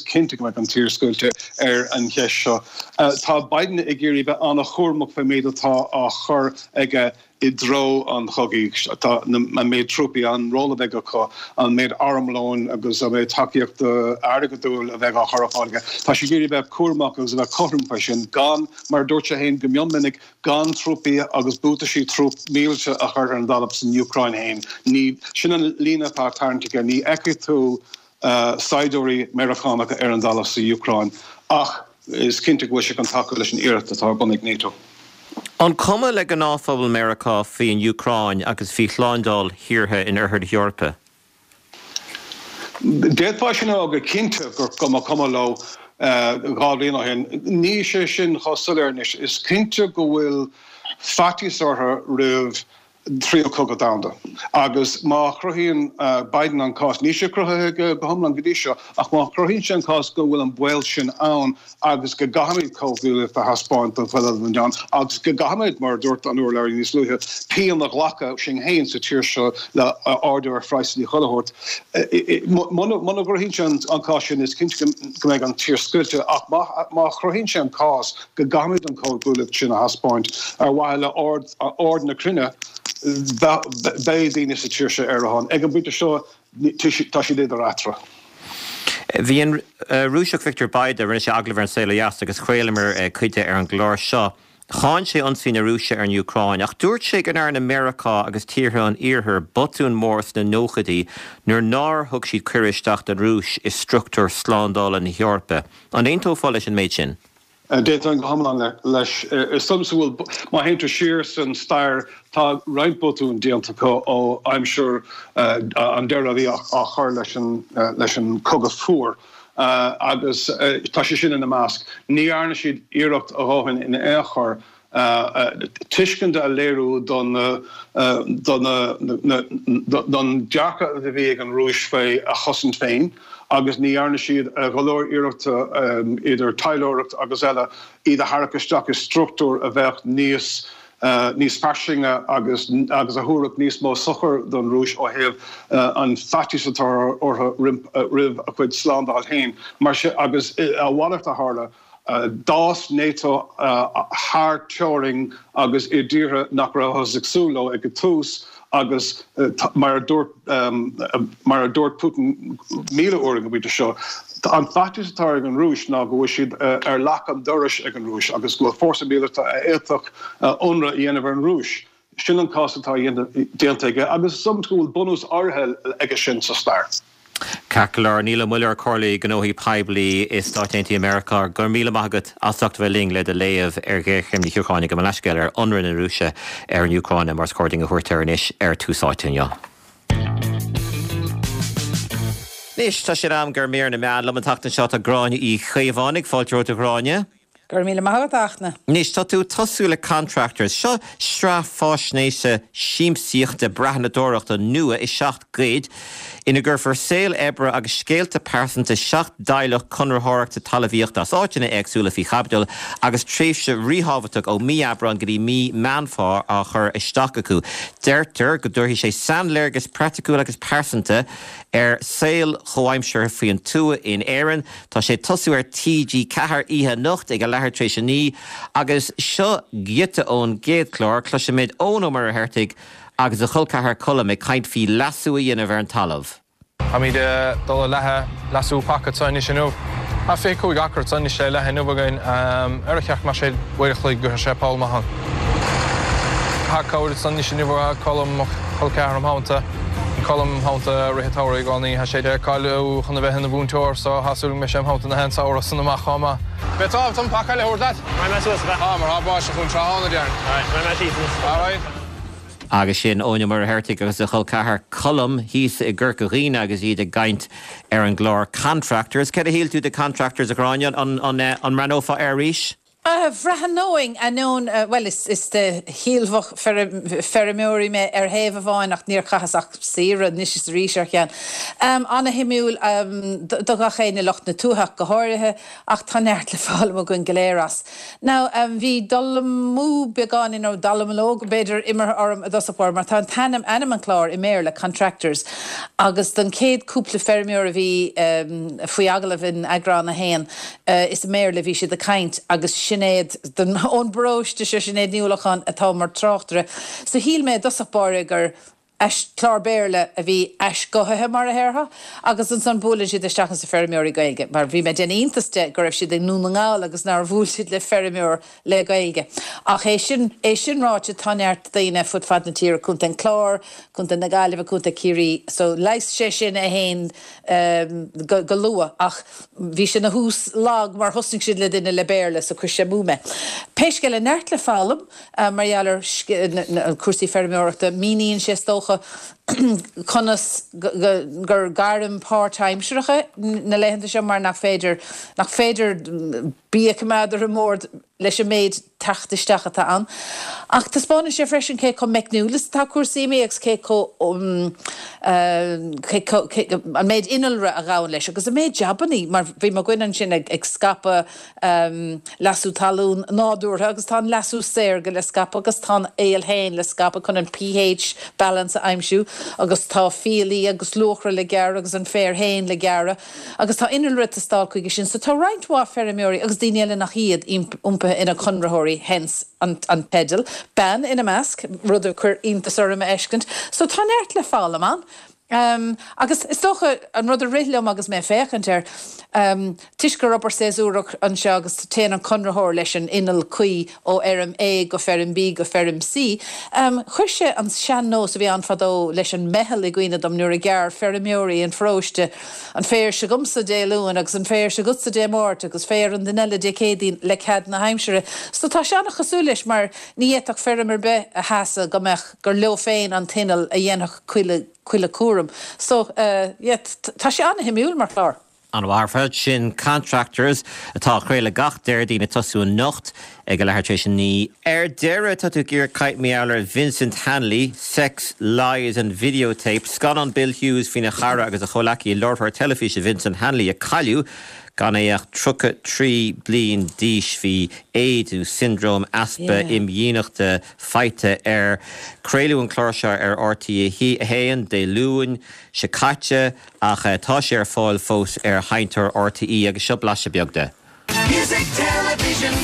S10: cinnte go mbeidh an tír scoilte ar an cheist seo. Tá Biden ag iarraidh bheith an-chúramach faoin méid atá á chur aige i dtreo an chogaidh. Tá an méid trúpaí, an ról a bheidh acu, an méid armlóin agus an méid tacaíochta airgeadúil a bheidh á chur ar fáil aige. Tá sé ag iarraidh a bheith cúramach agus a bheith cothrom faoi sin, gan, mar a dúirt sé féin go mion minic, gan trúpaí agus buataisí trúp mílte a chur ar an dtalamh san Úcráin féin. Ní, sin an líne atá tarraingthe aige. Ní fheicfidh tú saighdiúirí Meiriceánacha ar an dtalamh sa Úcráin ach is cinnte go bhfuil sé chun tacú leis an iarracht atá ar bun ag NATO.
S1: An cuma le gnáthphobal Meiriceá faoin Úcráin agus faoi shlándáil thíortha in oirthear na hEorpa?
S10: D'fhéadfá sin a rá go cinnte go mba cuma leo dhá bhliain ó shin. Níl sé sin chomh soiléir anois. Is cinnte go bhfuil faitíos orthu roimh Tríú Cogadh Domhanda. Agus má chruthaíonn Biden an cás, níl sé cruthaithe aige go hiomlán go dtí seo, ach má chruthaíonn sé an cás go bhfuil an baol sin ann agus go gcaithfimid comhghuaillíocht a thaispeáint don chuid eile den domhan agus go gcaithfimid, mar a dúirt an urlabhraí níos luaithe, pian a ghlacadh sinn féin sa tír seo le ardú ar phraghsanna chuile shórt. Muna gcruthaíonn sé an cás sin, is cinnte go mbeidh an tír scoilte ach má chruthaíonn sé an cás go gcaithfimid an chomhghuaillíocht sin a thaispeáint ar mhaithe le ord na cruinne, beidh daoine sa tír seo ar a shon. Ag an bpointe seo, tá siad idir eatarthu.
S1: Bhí an Rúiseach Viktor Bayda, rinne sé agallamh ar An Saol Ó Dheas agus chraolamar cuid de ar an gclár seo. Cháin sé ionsaí na Rúise ar an Úcráin ach dúirt sé go ndearna Meiriceá agus tíortha an Iarthair botún mór sna nóchaidí nuair nár thug siad cuireadh isteach don Rúis i struchtúir slándála na hEorpa. An aontófá leis an méid sin?
S10: D'aontóinn go hiomlán leis. Is dócha go bhfuil, má théann tú siar san stair, tá roinnt botún déanta acu ó aimsir an deireadh a bhí á chur leis an Cogadh Fuar agus tá sé sin ina measc. Ní dhearna siad iarracht a dhóthain in aon chor tuiscint a léiriú don dearcadh a bhí ag an Rúis faoi a chosaint féin agus ní dhearna siad go leor iarrachta, idir taidhleoireacht agus eile, iad a tharrac isteach i struchtúr a bheadh níos níos fairsinge agus agus a thabharfadh níos mó sochair don Rúis ó thaobh an faitíos atá orthu roimh a cuid slándáil féin. Mar sin, agus a mhalairt a tharla. D'fhás NATO thar teorainn agus i dtíortha nach rabhthas ag súil leo ag an tús agus mar a dúirt mar a dúirt Putin míle uair ag an bpointe seo, an faitíos atá ag an Rúis ná go bhfuil siad ar leac an dorais ag an Rúis agus go bhfuil fórsa míleata a fhéadfadh ionradh a dhéanamh ar an Rúis. Sin an cás atá déanta aige agus is dócha go bhfuil bunús áirithe aige sin sa stair.
S1: Ceart go leor, Niall Ó Muilleoir, Comhairleoir Gnóthaí Poiblí i Stáit Aontaithe Meiriceá, go raibh míle maith agat as ucht a bheith linn le do léamh ar ghéarchéim na hÚcráine. Gabh mo leithscéal ar ionradh na Rúise ar an Úcráin, mar is cóir dúinn a thabhairt air anois ar Tús Áite inniu. Anois, tá sé in am do mhír na meán. Liom an tseachtain seo tá Gráinne Uí Chaomhánaigh. Fáilte romhat a Ghráinne.
S11: Go raibh míle maith agat, a Fhachtna.
S1: Anois, tá tú ag tosú le Contractors. Seo sraith faisnéise siamsaíochta breathnadóireachta nua i seacht gcuid, ina gcuirfear saol oibre agus scéalta pearsanta seacht dteaghlach conraitheoireachta talmhaíochta as áiteanna éagsúla faoi chaibidil agus tréimhse ríthábhachtach ó mí Aibreáin go dtí mí Meán Fómhair á chur isteach acu. Deirtear go dtabharfaidh sé sainléargas praiticiúil agus pearsanta ar saol chomhaimseartha faoin tuath in Éirinn. Tá sé ag tosú ar T G ceathair oíche anocht ag a leathuair tar éis a naoi agus seo giota ón gcéad chlár. Cloisfimid Eoin Ó Muircheartaigh agus a chol ceathar Colm ag caint faoi leasú a dhéanamh ar an talamh.
S12: Táimid ag dul a leathadh leasú paca anseo anois inniu. Tá fiche cúig acra anseo anois le leathadh inniu againn. Ar a cheart go mbeadh sé uair a chloig go sé poll maith ann. Tá cabhair anseo anois inniu ó Colm, mo chol ceathar im theannta. Colm im theannta i rith an tsamhraidh i gcónaí. Tá sé cáilithe chun a bheith ina mhúinteoir so tá súil go mbeidh sé im theannta na haon samhradh san amach chomh maith. Beidh tábhacht an paca eile a thabhairt leat. Raghaidh mé suas, ab ea? Tá, mar tá báisteach ann tráthnóna, déarfainn. Alright, raghaidh mé síos anois. Alright.
S1: Agus sin Eoin Ó Muircheartaigh agus a chol ceathar Colm thíos i gCorca Dhuibhne agus iad ag caint ar an gclár Contractors. Céard a shíl tú de Contractors, a Ghráinne? An mbreathnófá air arís?
S11: Bhreathnóinn, ainneoin, bhuel, is de shíolmhach feirmeoirí mé ar thaobh amháin ach níor chaitheas ach saoire anois is arís ar cheann. Ana-shuimiúil do gach éinne, lucht na tuaithe ach go háirithe, ach tá neart le foghlaim againn go léir as. Now, bhí dul amú beagáinín, nó dallamullóg b'fhéidir, imeartha orm i dtosach báire mar tá an t-ainm, ainm an chláir i mBéarla, Contractors, agus don chéad cúpla feirmeoir a bhí faoi agallamh in eagrán a haon, is i mBéarla a bhí siad ag caint agus Sinéad den ón bparóiste seo Sinéad Ní Uallacháin atá mar tráchtaire. So shíl mé i dtosach báire gur clár Béarla a bhí aisghuthaithe mar a déarfá agus ansan buaileann siad isteach ins na feirmeoirí Gaeilge, mar bhí mé ag déanamh iontais de go raibh siad i nDún na nGall agus nár bhuail siad le feirmeoir le Gaeilge. Ach é sin é sin ráite tá neart daoine fud fad na tíre Contae an Chláir, Contae na Gaillimhe, Contae Chiarraí, so leigheas sé sin é féin um, go, go luath ach bhí sin ina thús lag mar thosnaigh siad le duine le Béarla so chuir sé amú mé. Pé scéal é neart le foghlaim uh, mar gheall ar cúrsaí feirmeoireachta míníonn sé is dócha conas gur gairm páirtaimseartha na laethanta seo mar nach féidir nach féidir bia a choimeád ar an mbord leis an méid teacht isteach atá ann. Ach taispeánann sé freisin cé chomh meicniúil is atá cúrsaí agus cé chomh um, uh, an méid innealra a ghabhann leis, agus an méid jabannaí mar bhí mo dhuine ansin ag, ag scaipeadh um, leasú talún nádúrtha agus tá an leasú saorga le scaipeadh agus tá an aol féin le scaipeadh chun an pH balance a aimsiú agus tá fiailí agus luachra le gearradh agus an féar féin le gearradh agus tá innealra ag teastáil chuige sin, so tá roinnt mhaith feirmeoirí agus daoine eile nach iad iompaithe ina conraitheoirí hence an, an teideal, bean ina measc, rud a chuir iontas orm a fheiscint, so tá neart le foghlaim ann. Um, agus is dócha an rud a rith liom agus mé féachaint air um, toisc gur obair séasúrach anseo agus téann an conraitheoir leis an inneall cuí ó fheirm A go feirm B go feirm C. Um, chuir sé an sean-nós a bhí ann fadó leis an meitheal i gcuimhne dom nuair a ghearr feirmeoirí an pharóiste an féar s'agamsa Dé Luain agus an féar s'agatsa Dé Máirt agus féar an duine eile Dé Céadaoin le cead na haimsire. So tá sé an-chosúil leis mar ní fhéadfadh feirm ar bith a sheasamh go mbeadh gur leo féin an t-inneall a dhéanfadh chuile chuile cúram. So uh, yeah, tá sé an-shuimiúil mar chlár.
S1: An bhharfad sin Contractors atá á chraoladh gach Déardaoin ag tosú anocht ag a leathuair tar éis a naoi. Ar deireadh tá tú ag iarraidh caint mar gheall ar Vincent Hanley, Sex, Lies and Videotape, scannán Bill Hughes faoina chara agus a chomhleacaí láithreoir teilifíse Vincent Hanley a cailleadh gan é ach tríocha trí bliain d'aois bhí AIDS nó siondróm easpa imdhíonachta faighte air. Craoladh an clár seo ar RTÉ a haon Dé Luain seo caite ach tá sé ar fáil fós ar sheinnteoir RTÉ agus seo blaiseadh beag de.
S13: Music Television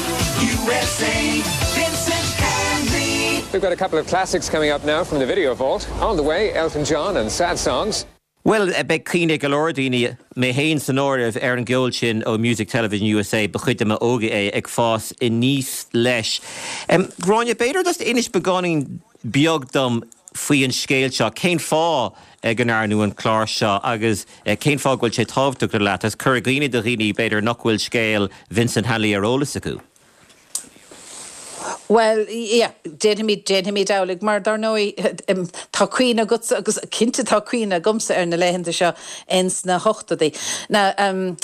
S13: USA Vincent Hanley
S14: We've got a couple of classics coming up now from the video vault. On the way, Elton John and Sad Songs.
S1: Well, beidh cuimhne go leor daoine mé féin san áireamh ar an gceol sin ó Music Television USA ba chuid de m'óige é ag fás aníos leis. Um, Gráinne b'fhéidir just inis beagáinín beag dom faoi an scéal seo, cén fáth go ndearnadh an clár seo agus cén fáth go bhfuil sé tábhachtach leat, as cur i gcuimhne do dhaoine b'fhéidir nach bhfuil scéal Vincent Hanley ar eolas acu.
S11: Well, yeah, déanfaimid déanfaimid amhlaidh mar dar ndóigh tá cuimhne agatsa agus cinnte tá cuimhne agamsa ar na laethanta seo ins na hochtóidí. Now, um,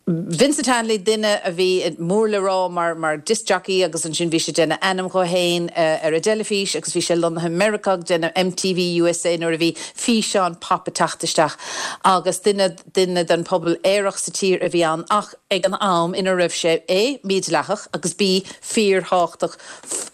S11: Vincent Hanley duine a bhí mór le rá mar mar disc jockey agus ansin bhí sé déanamh ainm dó féin uh, ar an dteilifís agus bhí sé lonnaithe Meiriceá déanamh MTV USA nuair a bhí físeán pop ag teacht isteach agus duine duine den pobal aerach sa tír a bhí ann ach ag an am ina raibh sé A mídhleathach agus B fíorthábhachtach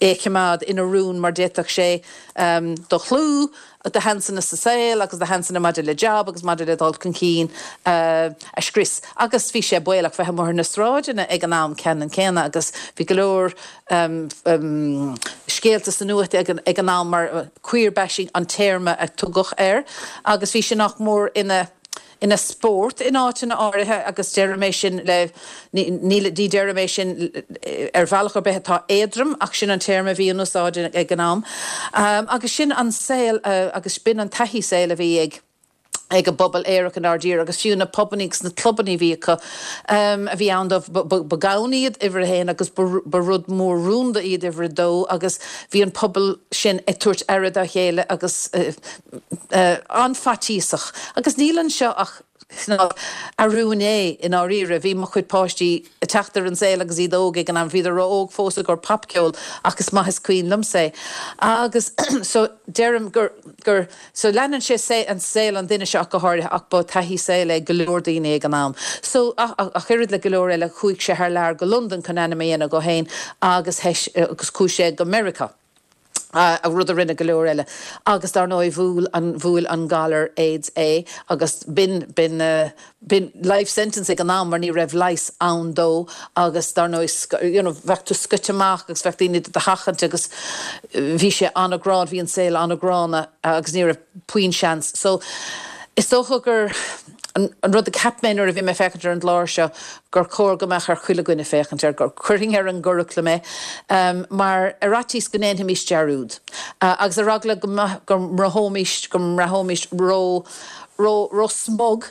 S11: é a choimeád ina rún mar d'fhéadfadh sé um, do chlú do sheansanna sa saol agus do sheansanna maidir le job agus maidir le dul chun cinn uh, a scrios. Agus bhí sé baolach bheith amuigh ar na sráideanna ag an am ceannann céanna agus bhí go leor um, um, scéalta sa nuacht ag an, ag an am mar uh, queer bashing an téarma a tugadh air, agus bhí sé nach mór ina ina spórt in áiteanna áirithe agus deirim é sin le ní ní deirim é sin ar bhealach ar bith atá éadrom ach sin an téarma bhí in úsáid ag an am. Um, agus sin an saol uh, agus b'in an taithí saoil a bhí ag ag an bpobal aerach inár dtír agus fiú na pubanna agus na clubanna bhí acu um, a bhí ann ba gann iad uimhir a haon agus ba rud mór rúnda iad uimhir a dó agus bhí an pobal sin ag tabhairt aire dá chéile agus uh, uh, an-fhaitíosach. Agus níl anseo ach arún é in áiríre bhí mo chuid páistí ag teacht ar an saol agus iad óg ag an am bhíodar ró-óg fós i gcomhair popcheol agus maith is cuimhin liomsa. Agus so deirim gur gur so leanann sé sé an saol an duine seo go háirithe ach ba taithí saoil é go leor daoine ag an am. So ach oiread le go leor eile chuaigh sé thar lear go Londain chun ainm a dhéanamh dó féin agus agus chuaigh sé go Meiriceá. A rud a rinne go leor eile. Agus dar ndóigh bhuail an bhuail an galar AIDS é agus b'in b'in uh, b'in life sentence ag an am mar ní raibh leigheas ann dó agus dar ndóigh you know, bheadh tú scoite amach agus bheadh daoine do sheachaint agus bhí sé an-ghránna bhí an saol an-ghránna agus ní raibh puinn seans. So is dócha gur an, an rud a cheap mé nuair a bhí mé féachaint ar an gclár seo gur chóir go mbeadh ar chuile dhuine féachaint air gur chuirfinn ar an gcuraclam é um, mar ar fhaitíos go ndéanfaimis dearúd. Uh, agus ar eagla go, go mbraithfimis go mbraithfimis ró ró ró smug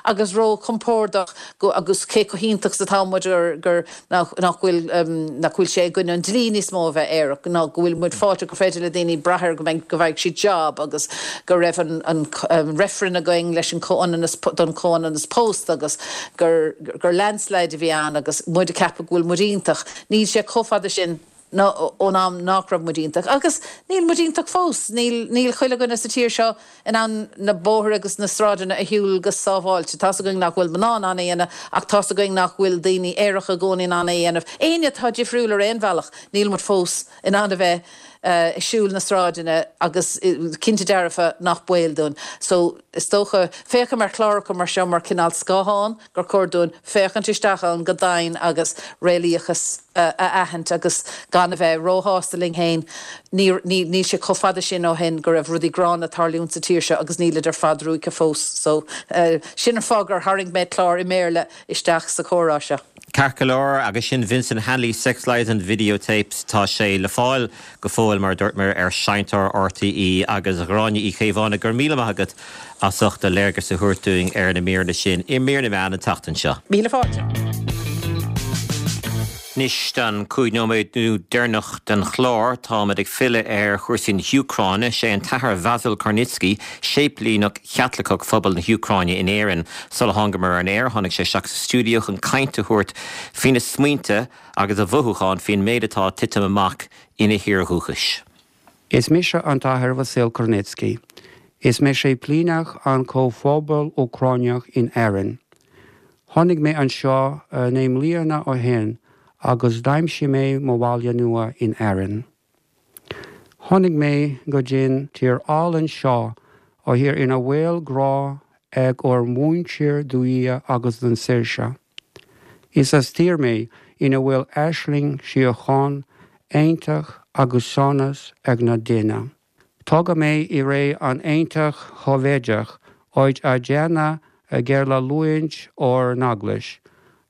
S11: agus ró compordach go agus cé chomh hiontach atá muid gur gur nach nach bhfuil um, nach bhfuil sé gon an dlí níos mó bheith air ná go bhfuil muid fáilte go féidir le daoine brath go mbeidh go bhfaighidh siad job agus go raibh an, an, um, reifreann againn leis an comhionannas don comhionannas pósta agus gur gur landslide a bhí ann agus muid ag ceapadh go bhfuil muid iontach. Níl sé chomh fada sin ná ón am nach raibh muid iontach. Agus níl muid iontach fós, níl níl chuile dhuine sa tír seo in ann na bóithre agus na sráideanna a shiúl go sábháilte. Tá's againn nach bhfuil mná in ann é a dhéanamh ach tá's againn nach bhfuil daoine aeracha i gcónaí in ann é a dhéanamh. Éinne atá difriúil ar aon bhealach, níl muid fós in ann a bheith uh, siúl na sráideanna agus cinnte dearfa nach baol dúinn. So is dócha féachaim ar chláracha mar seo mar cineál scáthán gur chóir dúinn féachaint isteach ann go domhain agus réalaíochas uh, a aithint agus gan a bheith róshásta linn féin níl sé chomh fada sin ó shin go raibh rudaí gránna ag tarlúint sa tír seo agus níl ar fad ruaigthe fós. So uh, sin an fáth gur tharraing mé clár i mBéarla isteach sa chomhrá seo.
S1: Ceart go leor agus sin Vincent Hanley Sex Lies and Videotapes tá sé le fáil go fóill mar dúirt mé ar Seinnteoir RTÉ agus Gráinne Uí Chaomhánaigh go raibh míle maith agat as ucht do léargas a thabhairt dúinn ar na míreanna sin i mír na meán an tseachtain seo.
S11: Míle fáilte.
S1: Anois don cúig nóiméad nó deireanach den chlár táimid ag filleadh ar chúrsaí na hÚcráine sé an tAthair Vasyl Kornytskyi, séiplíneach Chaitliceach phobal na hÚcráine in Éirinn. Sula thángamar ar an aer tháinig sé isteach sa stiúideo chun caint a thabhairt faoina smaointe agus a mhothúcháin faoin méid atá ag titim amach ina thír dhúchais.
S15: Is mise an tAthair Vasyl Kornytskyi. Is mé séiplíneach an comhphobal Úcránach in Éirinn. Tháinig mé anseo naoi mbliana ó shin agus d'aimsigh mé mo bhaile nua in Éirinn. Tháinig mé go dtí'n tír álainn seo ó thír ina bhfuil grá ag ár muintir do Dhia agus don saoirse. Is as tír mé ina bhfuil aisling síocháin, aontacht agus sonas ag na daoine. Tógadh mé i ré an Aontais Shóivéadach áit a déanadh géarleanúint ár n-eaglais,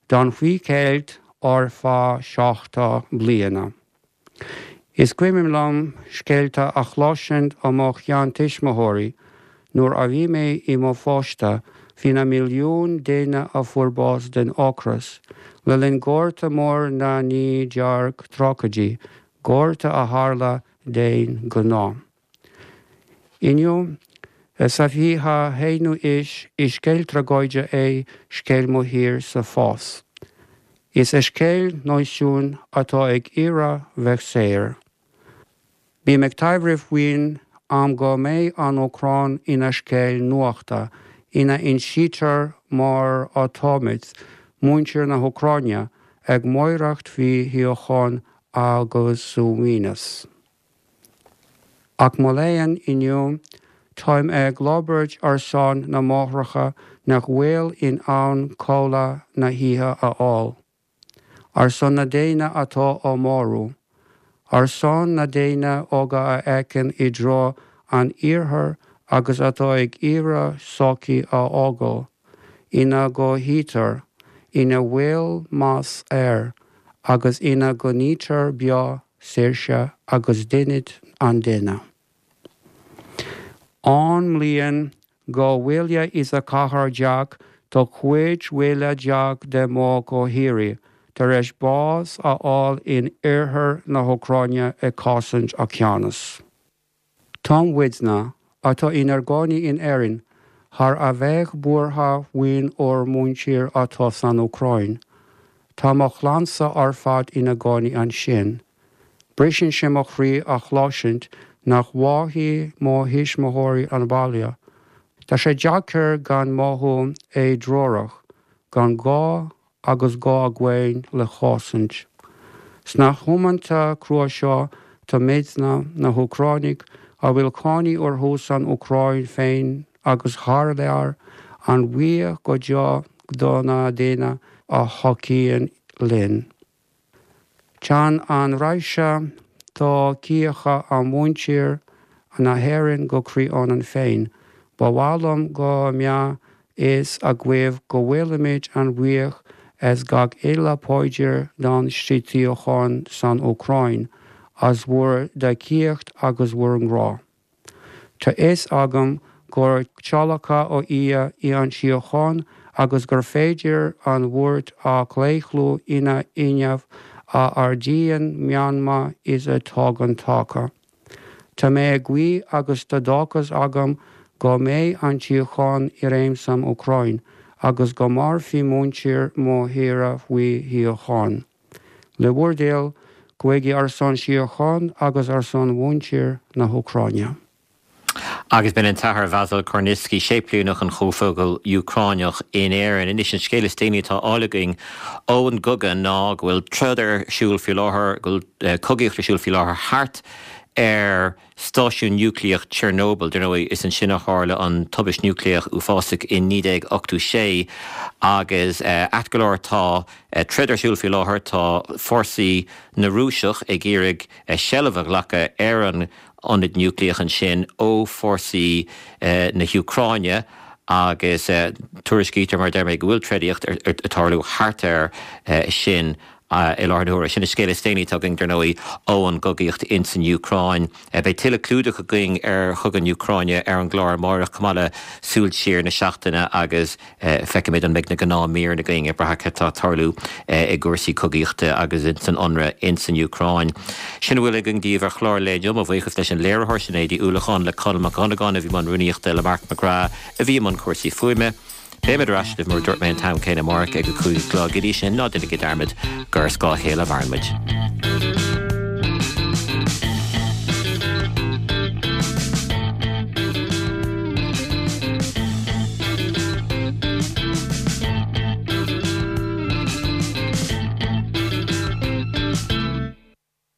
S15: don faoi cheilt ar feadh seachtó bliana. Is cuimhin liom scéalta a chloisint ó mo sheantuismitheoirí nuair a bhí mé i mo pháiste faoi na milliúin daoine a fuair bás den ocras, le linn Gorta Mór na naoi déag tríochaidí, gorta a tharla d'aon ghnó. Inniu sa fiche haonú haois is scéal tragóide é scéal mo thíre fós. Is é scéal náisiún atá ag iarraidh bheith saor. Bím ag taibhreamh faoin am go mbeidh an Úcráin ina scéal nuachta ina n-insítear mar atáimid, muintir na hÚcráine ag maireachtáil faoi shíocháin agus suaimhneas. Ach mo léan inniu táim ag labhairt ar son na máithreacha nach bhfuil in ann codladh na hoíche a fháil. Ar son na ndaoine atá á marú, ar son na ndaoine óga a fhéachann i dtreo an iarthair agus atá ag iarraidh sochaí a fhágáil, ina gcothaítear, ina bhfuil meas air, agus ina gcoinnítear beo saoirse agus dínit an duine. Ón mbliain dhá mhíle is a ceathair déag tá cúig mhíle déag de mo chomhthírigh tar éis bás a fháil in oirthear na hÚcráine ag cosaint a ceannas. Tá muidne atá inár gcónaí in Éirinn thar a bheith buartha faoin ár muintir atá san Úcráin. Tá mo chlannsa ar fad ina gcónaí ansin. Briseann sé mo chroí a chloisint nach bhfaighidh mo thuismitheoirí an baile. Tá sé deacair gan mothú éidreorach, gan gá agus gá againn le chosaint. Sna hamanta crua seo Táimidne, na hÚcránaigh, a bhfuil cónaí orthu san Úcráin féin agus thar lear, an-bhuíoch go deo do na daoine a thacaíonn linn. Téann an raidhse tacaíochta ó mhuintir na hÉireann go croí ionainn féin. Ba mhaith liom go mbeadh fhios agaibh go bhfuilimid an-bhuíoch as gach uile paidir don síocháin san Úcráin, as bhur dtacaíocht agus bhur ngrá. Tá fhios agam gur tíolacadh ó Dhia í an tsíocháin agus gur féidir an bhuairt a chlaochlú ina fhuinneamh a ardaíonn meanma is a thugann taca. Tá mé ag guí agus tá dóchas agam go mbeidh an tsíocháin i réim san Úcráin agus go mairfidh muintir mo thíre faoi shíocháin. Le bhur dtoil, guígí ar son síocháin agus ar son mhuintir na hÚcráine.
S1: Agus b'in an tAthair Vasyl Kornytskyi, Séiplíneach an Chomhphobail Úcránach in Éirinn. Anois an scéal is déanaí atá á fháil againn ón gcogadh ná go bhfuil troid ar siúl faoi láthair, go bhfuil cogaíocht ar siúl faoi láthair thart ar stáisiún núicléach Chernobyl. Dar ndóigh, is ansin a tharla an tubaist núicléach uafásach in naoi déag ochtó sé agus ait go leor tá troid ar siúl faoi láthair, tá fórsaí na Rúiseach ag iarraidh seilbh a ghlacadh ar an ionad núicléach ansin ó fórsaí na hÚcráine agus tuairiscítear, mar a deir mé, go bhfuil trodaíocht ag tarlú thart air sin. i láthair na huaire. Sin an scéal is déanaí atá againn, dar ndóigh, ón gcogaíocht ins an Úcráin. Beidh tuilleadh clúdach againn ar chogadh na hÚcráine ar an gclár amárach, chomh maith le súil siar na seachtaine agus feicfimid an mbeidh na gnáthmhíreanna againn ag brath cad tá ag tarlú i gcúrsaí cogaíochta agus ins an ionradh ins an Úcráin. Sin a bhfuil againn daoibh ar chlár an lae inniu. Mo bhuíochas leis an léiritheoir Sinéad Uí Uallacháin, le Conall Mac Dhonnagáin a bhí i mbun rúnaíochta, le Mark McGrath a bhí i mbun cúrsaí fuaime. Beimid ar ais libh mar a dúirt mé an t-am céanna amárach ag a cúig a chlog. Go dtí sin, ná déanaigí dearmad gur ar scáth a chéile a mhaireann muid.